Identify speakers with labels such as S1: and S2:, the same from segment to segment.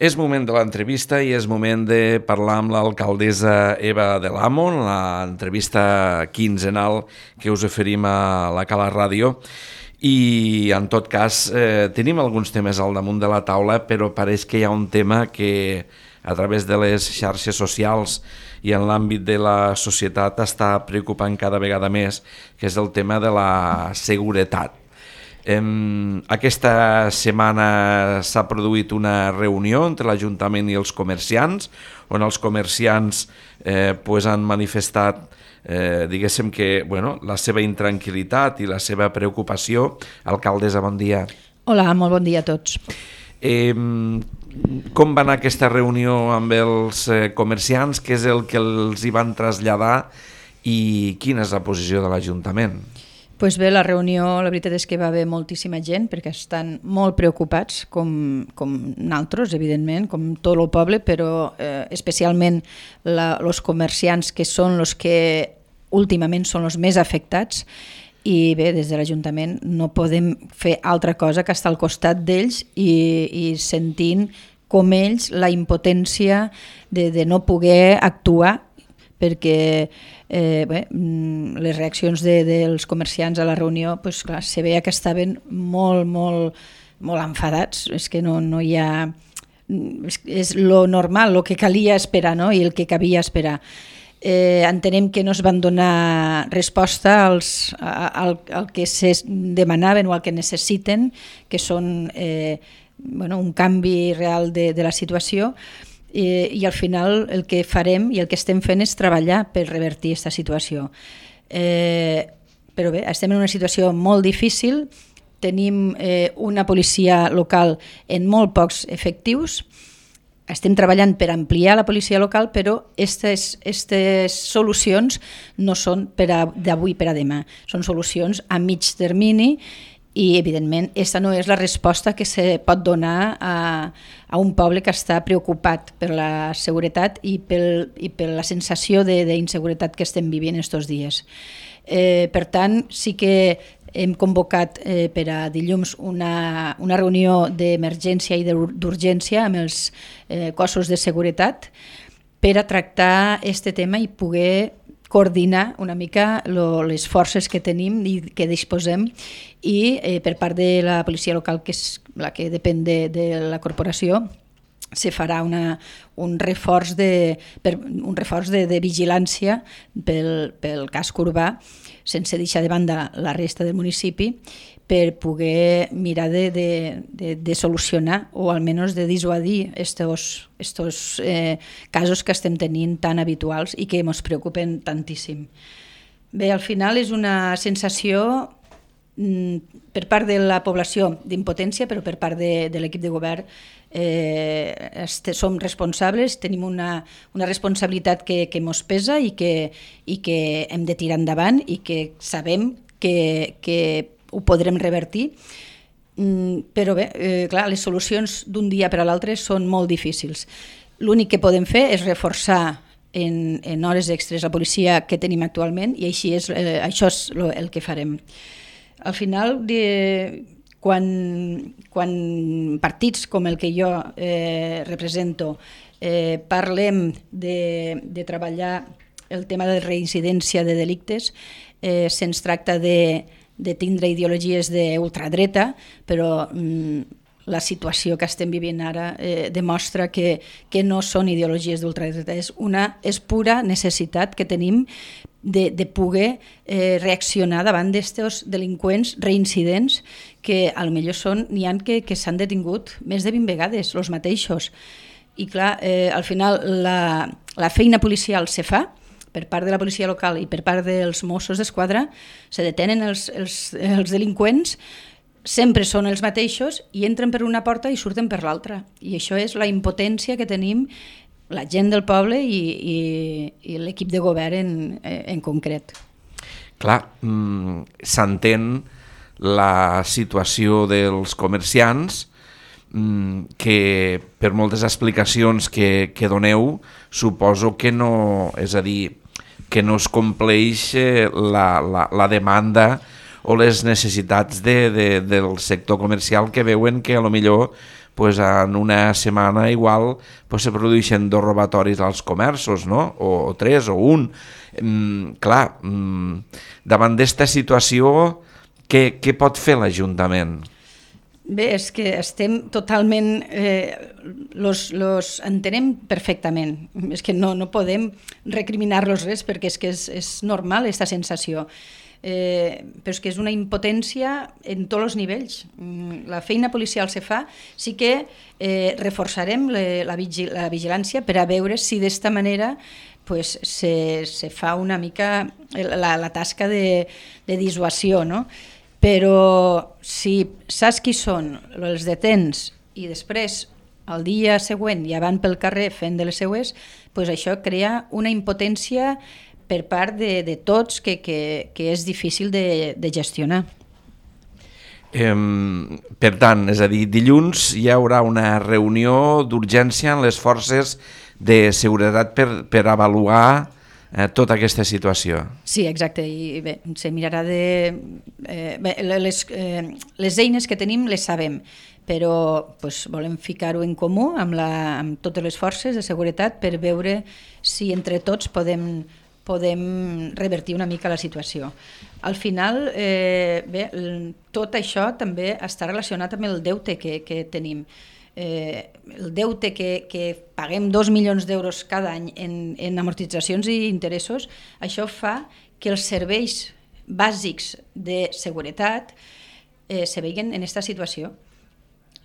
S1: És moment de l'entrevista i és moment de parlar amb l'alcaldessa Eva Del Amo, l'entrevista quinzenal que us oferim a la Cala Ràdio. I en tot cas tenim alguns temes al damunt de la taula, però pareix que hi ha un tema que a través de les xarxes socials i en l'àmbit de la societat està preocupant cada vegada més, que és el tema de la seguretat. Aquesta setmana s'ha produït una reunió entre l'Ajuntament i els comerciants, on els comerciants han manifestat diguéssim que la seva intranquil·litat i la seva preocupació. Alcaldessa, bon dia.
S2: Hola, molt bon dia a tots.
S1: Com va anar aquesta reunió amb els comerciants? Què és el que els hi van traslladar i quina és la posició de l'Ajuntament?
S2: Doncs bé, la reunió, la veritat és que va haver moltíssima gent perquè estan molt preocupats, com nosaltres, evidentment, com tot el poble, però especialment els comerciants, que són els que últimament són els més afectats. I bé, des de l'Ajuntament no podem fer altra cosa que estar al costat d'ells i sentint com ells la impotència de no poder actuar, perquè les reaccions dels comerciants a la reunió, clar, se veia que estaven molt enfadats. És que no hi ha... És lo normal, el que calia esperar, no? I el que cabia esperar. Entenem que no es van donar resposta al que se demanaven o al que necessiten, que són un canvi real de la situació, i al final el que farem i el que estem fent és treballar per revertir aquesta situació. Però bé, estem en una situació molt difícil, tenim una policia local en molt pocs efectius, estem treballant per ampliar la policia local, però aquestes solucions no són d'avui per a demà, són solucions a mig termini. I, evidentment, aquesta no és la resposta que se pot donar a un poble que està preocupat per la seguretat i per la sensació d'inseguretat que estem vivint aquests dies. Per tant, sí que hem convocat per a dilluns una reunió d'emergència i d'urgència amb els cossos de seguretat per a tractar aquest tema i poder coordinar una mica les forces que tenim i que disposem, i per part de la policia local, que és la que depèn de la corporació, se farà un reforç de vigilància pel casc urbà, sense deixar de banda la resta del municipi, per poder mirar de solucionar o almenys de dissuadir estos casos que estem tenint tan habituals i que ens preocupen tantíssim. Bé, al final és una sensació per part de la població d'impotència, però per part de l'equip de govern som responsables, tenim una responsabilitat que ens pesa i que hem de tirar endavant i que sabem que ho podrem revertir, però bé, clar, les solucions d'un dia per a l'altre són molt difícils. L'únic que podem fer és reforçar en hores extres la policia que tenim actualment, i això és el que farem. Al final, quan partits com el que jo represento parlem de treballar el tema de reincidència de delictes, se'ns tracta de tindre ideologies d'ultradreta, però la situació que estem vivint ara demostra que no són ideologies d'ultradreta, és pura necessitat que tenim de poder reaccionar davant d'aquests delinqüents reincidents que potser n'hi ha que s'han detingut més de 20 vegades, els mateixos. I clar, al final la feina policial se fa per part de la policia local i per part dels Mossos d'Esquadra, se detenen els delinqüents, sempre són els mateixos i entren per una porta i surten per l'altra. I això és la impotència que tenim la gent del poble i l'equip de govern en concret.
S1: Clar, s'entén la situació dels comerciants, que per moltes explicacions que doneu, suposo que no, és a dir, que no es compleix la demanda o les necessitats del sector comercial, que veuen que a lo millor pues en una setmana igual pues se produeixen 2 robatoris als comerços, no? O 3 o 1. Clar, davant d'esta situació, què pot fer l'Ajuntament?
S2: Bé, és que estem totalment... los entenem perfectament. És que no podem recriminar-los res perquè és que és normal aquesta sensació. Però és que és una impotència en tots els nivells. La feina policial se fa, sí que reforçarem la vigilància per a veure si d'esta manera pues, se fa una mica la tasca de dissuasió, no? Però si saps qui són, els detens i després el dia següent ja van pel carrer fent de les seues, pues això crea una impotència per part de tots que és difícil de gestionar.
S1: Per tant, és a dir, dilluns hi haurà una reunió d'urgència en les forces de seguretat per avaluar tota aquesta situació.
S2: Sí, exacte, i bé, se mirarà les eines que tenim les sabem, però pues, volem ficar-ho en comú amb totes les forces de seguretat per veure si entre tots podem revertir una mica la situació. Al final, bé, tot això també està relacionat amb el deute que tenim. El deute que paguem 2 milions d'euros cada any en amortitzacions i interessos, això fa que els serveis bàsics de seguretat se veien en aquesta situació.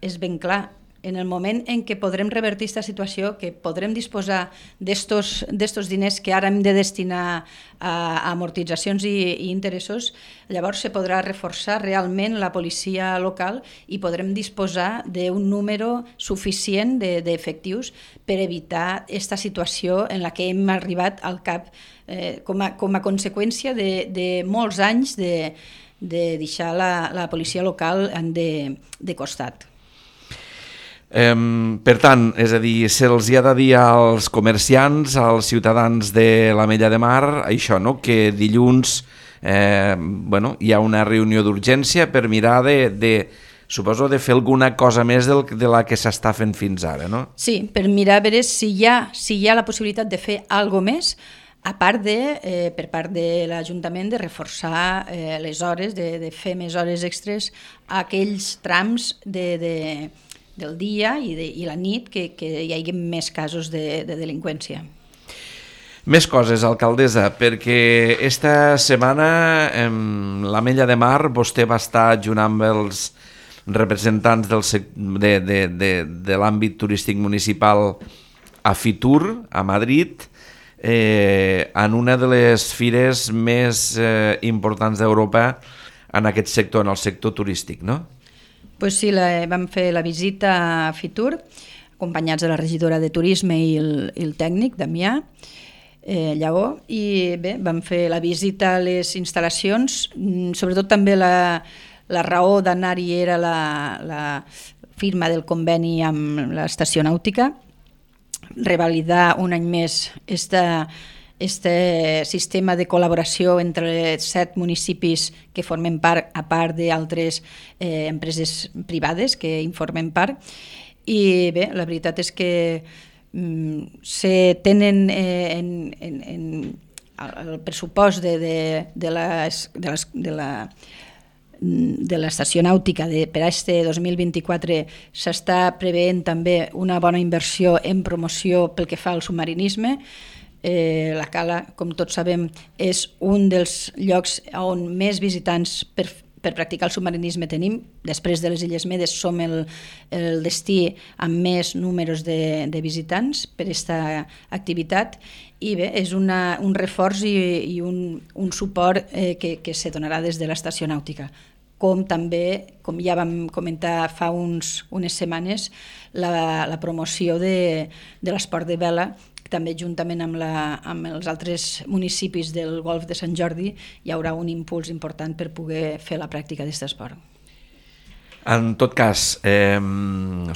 S2: És ben clar, en el moment en què podrem revertir aquesta situació, que podrem disposar d'estos diners que ara hem de destinar a amortitzacions i interessos, llavors se podrà reforçar realment la policia local i podrem disposar d'un número suficient d'efectius per evitar aquesta situació en la que hem arribat al cap com a conseqüència de molts anys de deixar la policia local de costat.
S1: Per tant, és a dir, se'ls hi ha de dir als comerciants, als ciutadans de l'Ametlla de Mar, això, no? Que dilluns hi ha una reunió d'urgència per mirar suposo de fer alguna cosa més de la que s'està fent fins ara, no?
S2: Sí, per mirar a veure si hi ha la possibilitat de fer alguna més, a part per part de l'Ajuntament, de reforçar les hores, de fer més hores extres a aquells trams del dia i la nit que hi hagi més casos de delinqüència.
S1: Més coses, alcaldessa, perquè esta setmana l'Ametlla de Mar vostè va estar junt amb els representants de l'àmbit turístic municipal a Fitur, a Madrid, en una de les fires més importants d'Europa en aquest sector, en el sector turístic, no?
S2: Pues sí, vam fer la visita a Fitur, acompanyats de la regidora de Turisme i el tècnic, Damià Lleó, i bé, vam fer la visita a les instal·lacions, sobretot també la raó d'anar-hi era la firma del conveni amb l'estació nàutica, revalidar un any més este sistema de col·laboració entre 7 municipis que formen part, a part d'altres empreses privades que en formen part. I bé, la veritat és que se tenen el pressupost de l'estació nàutica per a este 2024 s'està preveient també una bona inversió en promoció pel que fa al submarinisme. La Cala, com tots sabem, és un dels llocs on més visitants per practicar el submarinisme tenim. Després de les Illes Medes som el destí amb més números de visitants per aquesta activitat i bé, és un reforç i un suport que se donarà des de l'estació nàutica. Com també, com ja vam comentar fa unes setmanes, la promoció de l'esport de vela, també juntament amb els altres municipis del Golf de Sant Jordi hi haurà un impuls important per poder fer la pràctica d'aquest esport.
S1: En tot cas,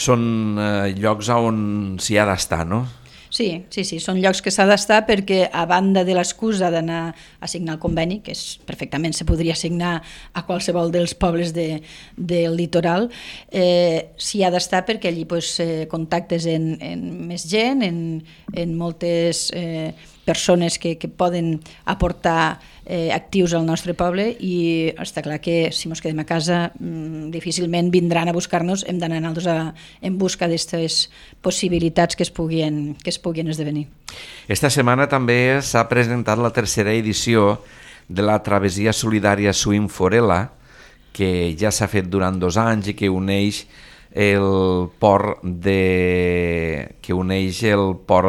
S1: són llocs on s'hi ha d'estar, no?
S2: Sí, són llocs que s'ha d'estar perquè a banda de l'excusa d'anar a signar el conveni, que perfectament se podria signar a qualsevol dels pobles del litoral, s'hi ha d'estar perquè allí contactes en més gent, en moltes persones que poden aportar actius al nostre poble, i està clar que si ens quedem a casa difícilment vindran a buscar-nos, hem d'anar nosaltres en busca d'aquestes possibilitats que es puguin esdevenir.
S1: Esta setmana també s'ha presentat la tercera edició de la Travessia Solidària Swim Forella, que ja s'ha fet durant 2 anys i que uneix el port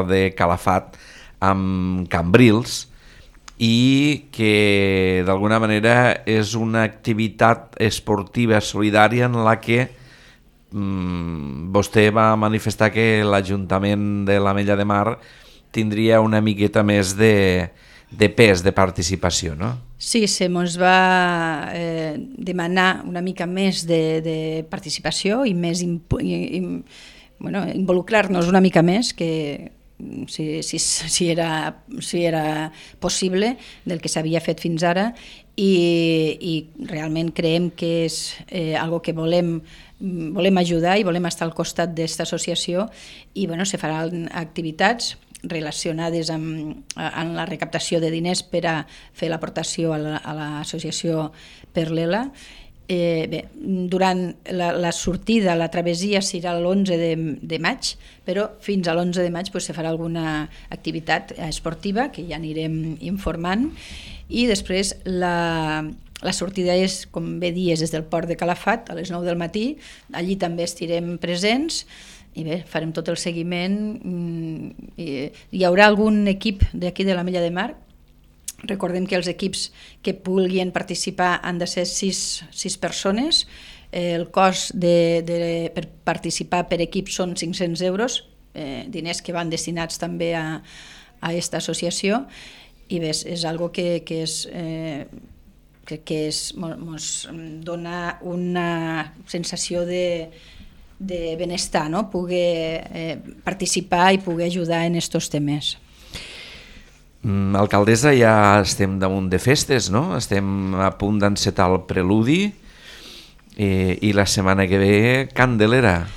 S1: de Calafat amb Cambrils, i que d'alguna manera és una activitat esportiva solidària en la que vostè va manifestar que l'Ajuntament de l'Ametlla de Mar tindria una miqueta més de pes, de participació, no?
S2: Sí, se mos va demanar una mica més de participació i més involucrar-nos una mica més, que si era possible, del que s'havia fet fins ara, i realment creiem que és algo que volem ajudar i volem estar al costat d'aquesta associació, i se faran activitats relacionades amb la recaptació de diners per a fer l'aportació a l'associació per l'ELA. Durant la sortida, la travessia serà l'11 de maig, però fins a l'11 de maig se farà alguna activitat esportiva que ja anirem informant, i després la sortida és, com bé dies, des del port de Calafat a les 9 del matí. Allí també estirem presents i farem tot el seguiment. Hi haurà algun equip d'aquí de l'Ametlla de Mar. Recordem que els equips que vulguin participar han de ser 6 persones. El cost per participar per equip són 500 euros, diners que van destinats també a aquesta associació, i és algo que ens dona una sensació de benestar, no? Poder participar i poder ajudar en aquests temes.
S1: Alcaldessa, ja estem damunt de festes, no? Estem a punt d'encetar el preludi, i la setmana que ve Candelera.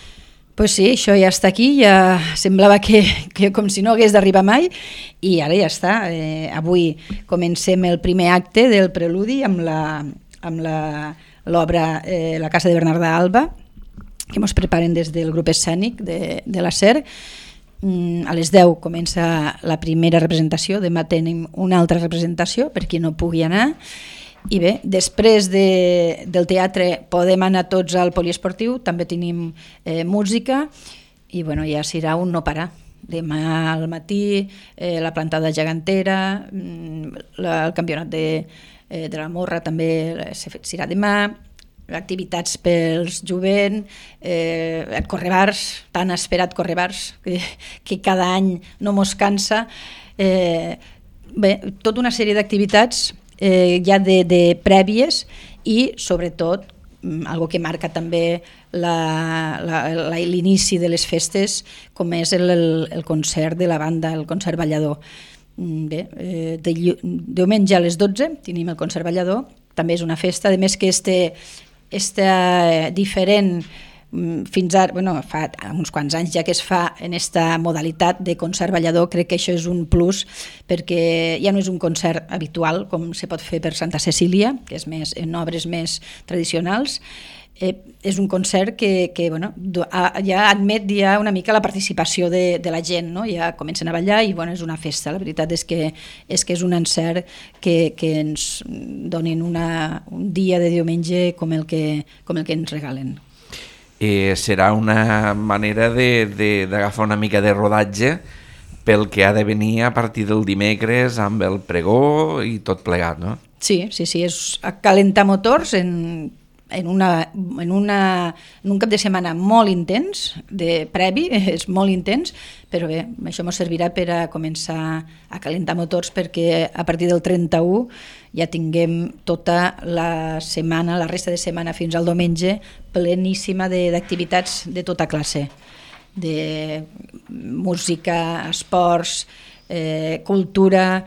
S2: Pues sí, això ja està aquí, ja semblava que com si no hagués d'arribar mai, i ara ja està. Avui comencem el primer acte del preludi amb l'obra La Casa de Bernardà Alba, que ens preparen des del grup escènic de la SER. A les 10 comença la primera representació, demà tenim una altra representació per qui no pugui anar, i després del teatre podem anar tots al poliesportiu, també tenim música, i ja serà un no parar. Demà al matí la plantada gegantera, el campionat de la morra també serà demà, activitats pels jovent, correbars, tan esperat correbars, que cada any no mos cansa. Tota una sèrie d'activitats ja de prèvies, i sobretot algo que marca també l'inici de les festes, com és el concert de la banda, el concert ballador. Diumenge a les 12 tenim el concert ballador, també és una festa, a més que diferent fins ara, fa uns quants anys ja que es fa en aquesta modalitat de concert ballador. Crec que això és un plus, perquè ja no és un concert habitual com se pot fer per Santa Cecília, que és més en obres més tradicionals. És un concert que ja admet una mica la participació de la gent, no? Ja comencen a ballar i és una festa. La veritat és que és un encert que ens donin un dia de diumenge com el que ens regalen.
S1: Serà una manera d'agafar una mica de rodatge pel que ha de venir a partir del dimecres amb el pregó i tot plegat, no?
S2: Sí, és calentar motors en un cap de setmana molt intens, previ, és molt intens, però això ens servirà per a començar a calentar motors perquè a partir del 31 ja tinguem tota la setmana, la resta de setmana fins al diumenge, pleníssima d'activitats de tota classe. música, esports, cultura,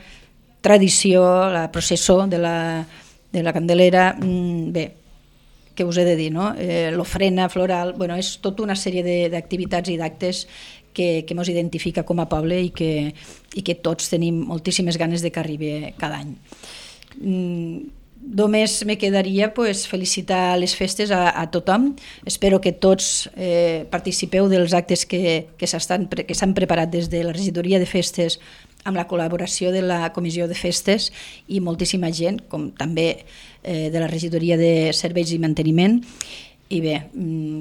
S2: tradició, la processó de la Candelera, bé, què us he de dir, no? L'ofrena floral, bueno, és tota una sèrie d'activitats i d'actes que ens identifica com a poble i que tots tenim moltíssimes ganes de que arribi cada any. Només me quedaria felicitar les festes a tothom. Espero que tots participeu dels actes que s'han preparat des de la regidoria de festes amb la col·laboració de la comissió de festes i moltíssima gent, com també de la regidoria de serveis i manteniment. I bé,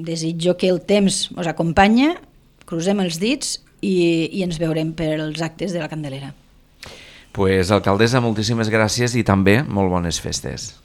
S2: desitjo que el temps us acompanya, crucem els dits i ens veurem per als actes de la Candelera.
S1: Pues, alcaldessa, moltíssimes gràcies i també molt bones festes.